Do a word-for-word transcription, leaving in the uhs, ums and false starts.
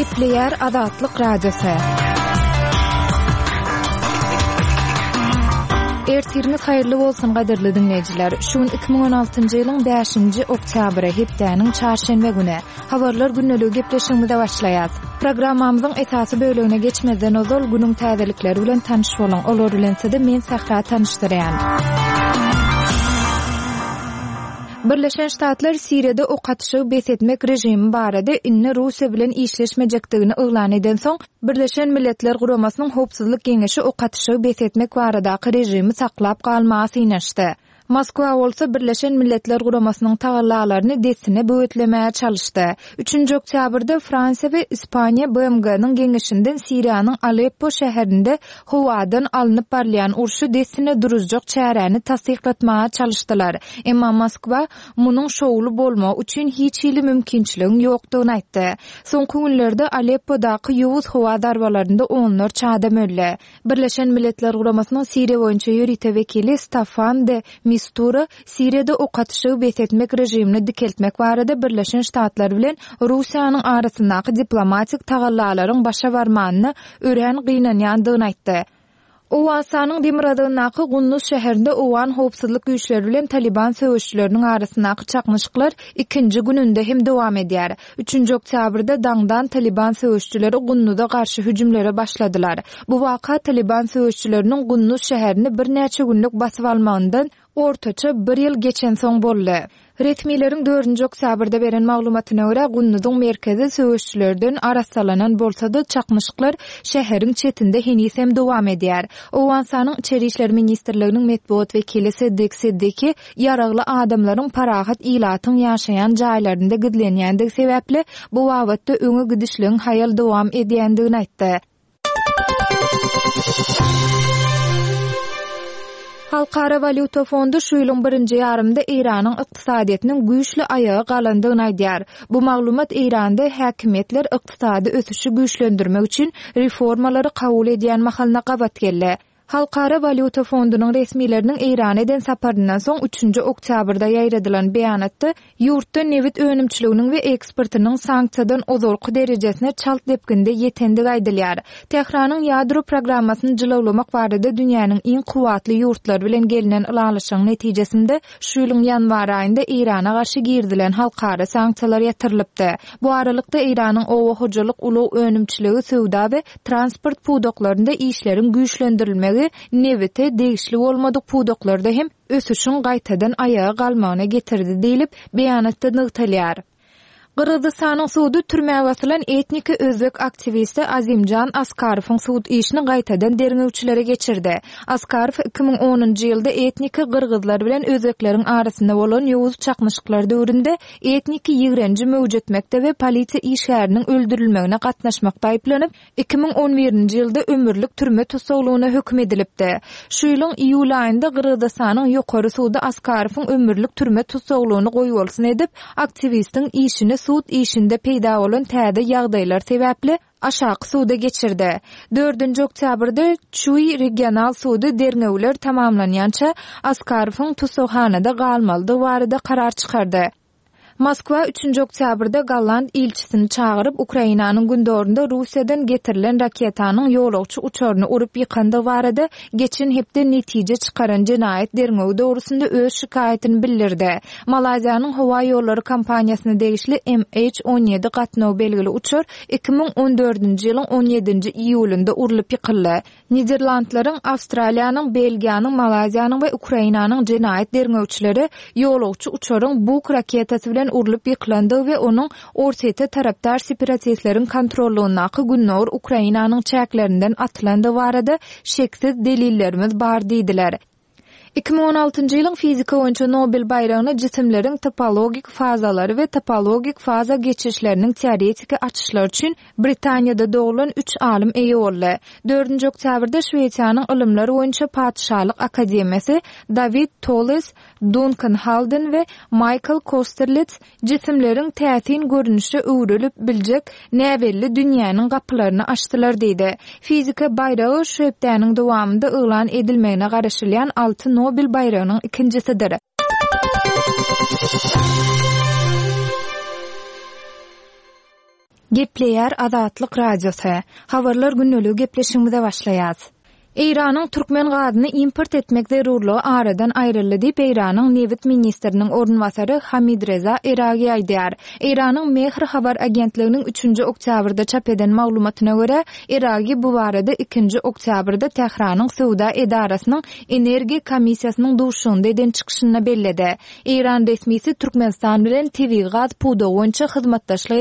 Gepleýär Azatlyk Radiosy. Ertiriňiz haýyrly bolsun gadyrly diňleýjiler. Şu gün iki müň on altynjy ýylyň bäşinji oktýabry, hepdäniň çarşenbe güni. Habarlar gündeligi gepleşigimize başlaýas. Programmamyzyň esasy bölegine geçmezden ozal günüň täzelikleri bilen tanyş boluň. Olar bilen sizi men Sähra tanyşdyrýan. Birleşen Ştatlar Siriýada ok atyşygy bes etmek režimi barada indi Russiýa bilen işleşmejekdigini yglan edensoň, Birleşen Milletler Guramasynyň Howpsuzlyk Geňeşi ok atyşygy bes etmek baradaky režimi saklap galmaga synanyşdy. Moskwa bolsa Birleşen Milletler Guramasynyň tagallalaryny dessine böwetlemäge çalyşdy. Üçünji oktýabrda Fransiýa we Ispaniýa B M G-niň geňeşinden Siriýanyň Aleppo şäherinde howadan alnyp barylýan urşy dessine duruzjak çäräni tassyklatmaga çalyşdylar. Emma Moskwa munuň şowly bolmagy üçin hiç hili mümkinçiligiň ýokdugyny aýtdy. Soňky günlerde Aleppodaky ýowuz howa zarbalarynda onlarça adam öldi. Birleşen Milletler Guramasynyň Siriýa boýunça ýörite wekili Staffan de Mistura Siriýada ok atyşygy bes etmek režimini dikeltmek barada Birleşen Ştatlar bilen Russiýanyň arasyndaky diplomatik tagallalaryň başa barmanyna örän gynanýandygyny aýtdy. Owganystanyň demirgazygyndaky Gunduz şäherinde Owgan howpsuzlyk güýçleri bilen Taliban söweşçileriniň arasyndaky çaknyşyklar ikinji gününde hem dowam edýär. Üçünji oktýabrda daňdan Taliban söweşçileri Gunduza garşy hüjümlere başladylar. Bu waka Taliban söweşçileriniň Gunduz şäherini birnäçe günlük basyp almagyndan ortaça bir ýyl geçen soň boldy. Resmileriň dördünji oktýabrda beren maglumatyna görä Gunduzyň merkezi söweşçilerden arassalanan bolsa-da çaknyşyklar şäheriň çetinde heniz hem dowam edýär. Owganystanyň Içeri İşler Ministrliginiň metbugat wekili Siddik Siddiki ýaragly adamlaryň parahat ilatyň ýaşaýan jaýlarynda gizlenýändigi sebäpli bu babatda öňe gidişligiň haýal dowam edýändigini aýtdy. Halkara Walýuta Fondy şu ýylyň birinji ýarymynda Eýranyň ykdysadyýetiniň güýçli aýaga galandygyny aýdýar. Bu maglumat Eýranda häkimiýetler ykdysady ösüşi güýçlendirmek üçin reformalary kabul edýän mahalyna gabat geldi. Halkara Walýuta Fondunyň resmileriniň Eýrana eden saparyndan soň üçünji oktýabrda ýaýradylan beýanatda ýurtda nebit önümçiliginiň we eksportynyň sanksiýadan ozalky derejesine çalt depginde ýetendigi aýdylýar. Tähranyň ýadro programmasyny jylawlamak barada dünýäniň iň kuwwatly ýurtlary bilen gelinen ylalaşygyň netijesinde şu ýylyň ýanwar aýynda Eýrana garşy girizilen halkara sanksiýalar ýatyrylypdy. Bu aralykda Eýranyň oba hojalyk, ulag önümçiligi, söwda we transport pudaklarynda işleriň güýçlendirilmegi nebite degişli bolmadyk pudaklarda hem ösüşiň gaýtadan aýaga galmagyna getirdi diýlip beýanatda nygtalýar. Gyrgyzystanyň sudy türmä basylan etniki özbek aktiwisti Azimjan Askarowyň sud işini gaýtadan derňewçilere geçirdi. Askarow iki müň onunjy ýylda etniki gyrgyzlar bilen özbekleriň arasynda bolan ýowuz çaknyşyklar döwründe etniki ýigrenji möwjetmekde we polisiýa işgäriniň öldürilmegine gatnaşmakda aýyplanyp, iki müň on birinji ýylda ömürlik türme tussaglygyna höküm edilipdi. Şu ýylyň iýul aýynda Gyrgyzystanyň ýokary sudy Askarowyň ömürlik türme tussaglygyny goýbolsun edip, aktiwistiň işini sud işinde peýda bolan täze ýagdaýlar sebäpli aşaky suda geçirdi. Dördünji oktýabrda Çuý regional sudy derňewler tamamlanýança Askarowyň tussaghanada galmalydygy barada karar çykardy. Moskwa üçünji oktýabrda Golland ilçisini çagyryp, Ukrainanyň gündorunda Russiýadan getirilen raketanyň ýolagçy uçaryny urup ýykandygy barada geçen hepde netije çykaran jenaýat derňewi dogrusynda öz şikaýatyny bildirdi. Malaýziýanyň howa ýollary kompaniýasyna degişli M H on ýedi gatnaw belgili uçar iki müň on dördünji ýylyň on ýedinji iýulynda urlup ýykyldy. Niderlandlaryň, Awstraliýanyň, Belgiýanyň, Malaýziýanyň we Ukrainanyň jenaýat derňewçileri ýolagçy uçaryň Buk raketasy bilen urlup ýykylandygy we onuň Orsýete tarapdar separatistleriň kontrollugyndaky Gündogar Ukrainanyň çäklerinden atylandygy barada şeksiz delillerimiz bar diýdiler. Iki müň on altynjy ýylyň fizika boýunça Nobel baýragyny jisimleriň topologik fazalary we topologik faza geçişleriniň teoretiki açyşlary üçin Britaniýada doglan üç alym eýe boldy. Dördünji oktýabrda Şwesiýanyň Ylymlar boýunça Patyşalyk Akademiýasy Dawid Toles, Duncan Halden we Michael Kosterlitz jisimleriň täsin görnüşe öwrülip biljek näbelli dünýäniň gapylaryny açdylar diýdi. Fizika baýragy şu hepdäniň dowamynda yglan edilmegine garaşylýan alty Nobel baýragynyň ikinjisidir. Gepleýär Azatlyk Radiosy. Habarlar gündeligi gepleşigimize başlaýas. Eýranyň türkmen gazyny import etmek zerurlygy aradan aýryldy diýip, Eýranyň nebit ministriniň orunbasary Hamidreza Eragi aýdýar. Eýranyň Mehr habar agentliginiň üçünji oktýabrda çap eden maglumatyna görä, Eragi bu barada ikinji oktýabrda Tähranyň söwda edarasynyň energiýa komissiýasynyň duşuşygynda eden çykyşynda belledi. Eýran resmisi Türkmenistan bilen tebigy gaz pudagy boýunça hyzmatdaşlyk